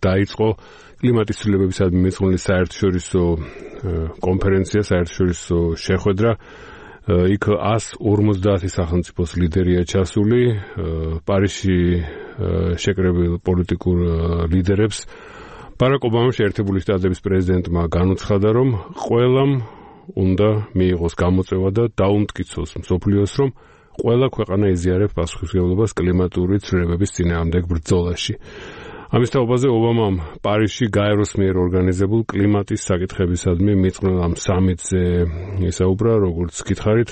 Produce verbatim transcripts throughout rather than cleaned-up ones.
დაიწყო კლიმატის ცვლილებებისადმი მიძღვნილი საერთაშორისო კონფერენცია, საერთაშორისო შეხვედრა. იქ ას ორმოცდაათი სახელმწიფოს ლიდერია ჩასული, პარიზში შეკრებილ პოლიტიკურ ლიდერებს. ბარაკ ობამამ შეერთებული შტატების პრეზიდენტმა განუცხადა, რომ ყველამ უნდა მიიღოს გამოწვევა და დაუმტკიცოს მსოფლიოს, რომ ყველა ქვეყანა იზიარებს პასუხისმგებლობას კლიმატური ცვლილებების წინააღმდეგ ბრძოლაში. ამის თაობაზე ობამამ პარიზში გაეროს მიერ ორგანიზებულ კლიმატის საკითხებისადმი მიძღვნილ ამ სამიტზე ისაუბრა, როგორც გითხარით,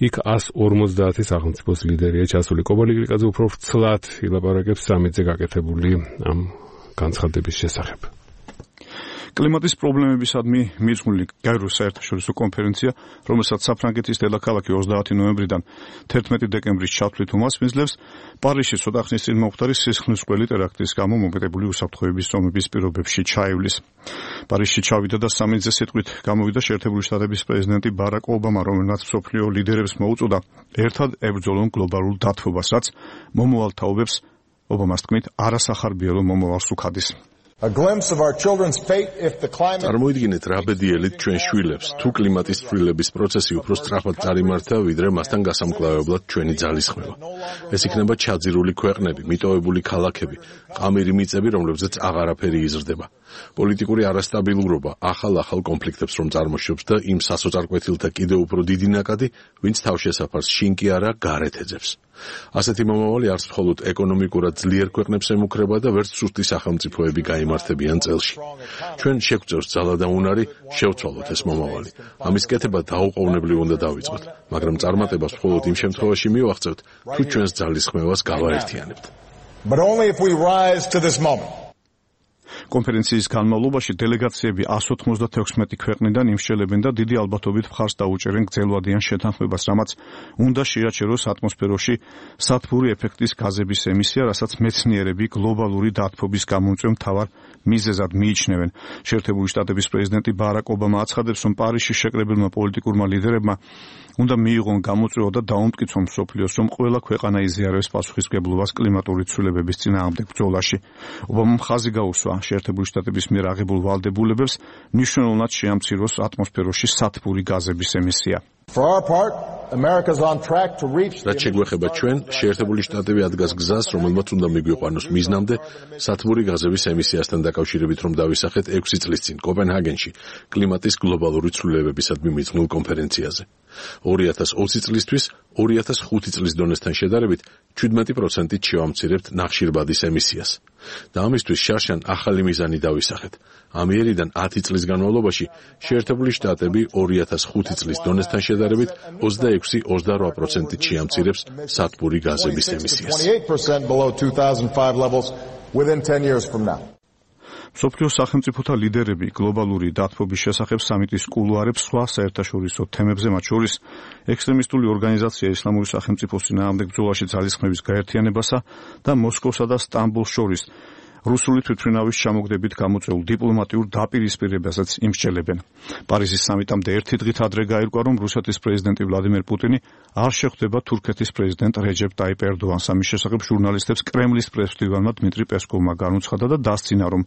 იქ ას ორმოცდაათი სახელმწიფოს ლიდერია ჩასული. კობალი გრიკაძე უფრო ვრცლად ილაპარაკებს სამიტზე გაკეთებული ამ განცხადების შესახებ. კლიმატის პრობლემებისადმი მიძღვნილი გაეროს საერთაშორისო კონფერენცია, რომელსაც საფრანგეთის დედაქალაქი ოცდაათი ნოემბრიდან თერთმეტი დეკემბრის ჩათვლით უმასპინძლებს, პარიზში ცოტა ხნის წინ მომხდარი სისხლისმღვრელი ტერაქტის გამო მომეტებული უსაფრთხოების ზომების პირობებში ჩაივლის. პარიზში ჩავიდა და სამიტზე სიტყვით გამოვიდა შეერთებული შტატების პრეზიდენტი ბარაკ ობამა, რომელმაც მსოფლიო ლიდერებს მოუწოდა ერთად ებრძოლონ გლობალურ დათბობას, რაც მომავალ თაობებს ობამას თქმით არასახარბიელო მომავალს უქადის. წარმოიდგინეთ რა ბედიელით ჩვენ შვილებს, თუ კლიმატის ცვლილების პროცესი უფრო სწრაფად წარიმართა, ვიდრე მასთან გასამკლავებლად ჩვენი ძალისხმევა. ეს იქნება ჩაძირული ქვეყნები, მიტოვებული ქალაქები, ყამირი მიწები, რომლებზეც აღარაფერი იზრდება. პოლიტიკური არასტაბილურობა ახალ-ახალ კონფლიქტებს რომ წარმოშობს და იმ სასოწარკვეთილთა კიდევ უფრო დიდი ნაკადი, ვინც თავშესაფარს შინ კი არა გარეთ ეძებს. ასეთი მომავალი არც მხოლოდ ეკონომიკურად ძლიერ ქვეყნებს ემუქრება და ვერც სუსტი სახელმწიფოები გაიმართებიან წელში. ჩვენ შეგვწევს ძალა და უნარი შევცვალოთ ეს მომავალი. ამის კეთება დაუყოვნებლივ უნდა დავიწყოთ, მაგრამ წარმატებას მხოლოდ იმ შემთხვევაში მივაღწევთ, თუ ჩვენს ძალისხმევას გავაერთიანებთ. But only if we rise to this moment. კონფერენციის განმავლობაში დელეგაციები ას ოთხმოცდათექვსმეტი ქვეყნიდან იმსჯელებენ და დიდი ალბათობით მხარს დაუჭერენ გრძელვადიან შეთანხმებას, რამაც უნდა შეაჩეროს ატმოსფეროში სათბური ეფექტის გაზების ემისია, რასაც მეცნიერები გლობალური დათბობის გამომწვევ მთავარ მიზეზად მიიჩნევენ. შეერთებული შტატების პრეზიდენტი ბარაკ ობამა აცხადებს, რომ პარიზში შეკრებილმა პოლიტიკურმა ლიდერებმა უნდა მიიღონ გამოწვევა და დაუმტკიცონ მსოფლიოს, რომ ყველა ქვეყანა იზიარებს პასუხისმგებლობას კლიმატური ცვლილებების წინააღმდეგ ბრძოლაში. ობამამ ხაზი გაუსვა შეერთებული შტატების მიერ აღებულ ვალდებულებებს, მნიშვნელოვნად შეამციროს ატმოსფეროში სათბური გაზების ემისია. რაც შეგვეხება ჩვენ, შეერთებული შტატები ადგას გზას, რომელმაც უნდა მიგვიყვანოს მიზნამდე სათბური გაზების ემისიასთან დაკავშირებით, რომ დავისახეთ ექვსი წლის წინ კოპენჰაგენში კლიმატის გლობალური ცვლილებებისადმი მიძღვნილ კონფერენციაზე. ორი ათას ოცი წლისთვის ორი ათას ხუთი წლის დონესთან შედარებით შვიდმეტი პროცენტით შევამცირებთ ნახშირბადის ემისიას. და ამისთვის შარშან ახალი მიზანი დავისახეთ. ამიერიდან ათი წლის განმავლობაში შეერთებული შტატები ორი ათას ხუთი წლის დონესთან შედარებით ოცდაექვსი ოცდარვა პროცენტით შეამცირებს სათბური გაზების ემისიას. მსოფლიოს სახელმწიფოთა ლიდერები გლობალური დათბობის შესახებ სამიტის კულუარებს სხვა საერთაშორისო თემებზე, მათ შორის ექსტრემისტული ორგანიზაცია ისლამური სახელმწიფოს წინააღმდეგ ბრძოლაში ძალისხმევის გაერთიანებასა და მოსკოვსა და სტამბოლს შორის რუსული თვითმფრინავის ჩამოგდებით გამოწვეულ დიპლომატიურ დაპირისპირებასაც იმსჯელებენ. პარიზის სამიტამდე ერთი დღით ადრე გაირკვა, რომ რუსეთის პრეზიდენტი ვლადიმერ პუტინი არ შეხვდება თურქეთის პრეზიდენტ რეჯეპ ტაიპ ერდოანს. ამის შესახებ ჟურნალისტებს კრემლის პრესმდივანმა დმიტრი პესკოვმა განუცხადა და დასცინა, რომ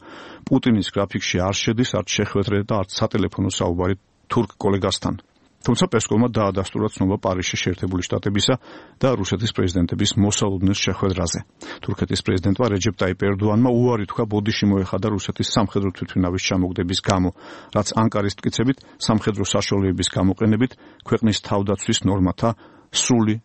პუტინის გრაფიკში არ შედის არც შეხვედრა და არც სატელეფონო საუბარი თურქ კოლეგასთან. თუმცა პესკოვმა დაადასტურა ცნობა პარიზში შეერთებული შტატებისა და რუსეთის პრეზიდენტების მოსალოდნელ შეხვედრაზე. თურქეთის პრეზიდენტმა რეჯეპ ტაიპ ერდოანმა უარი თქვა ბოდიში მოეხადა რუსეთის სამხედრო თვითმფრინავის ჩამოგდების გამო, რაც ანკარის მტკიცებით სამხედრო საშუალებების გამოყენებით ქვეყნის თავდაცვის ნორმათა სრული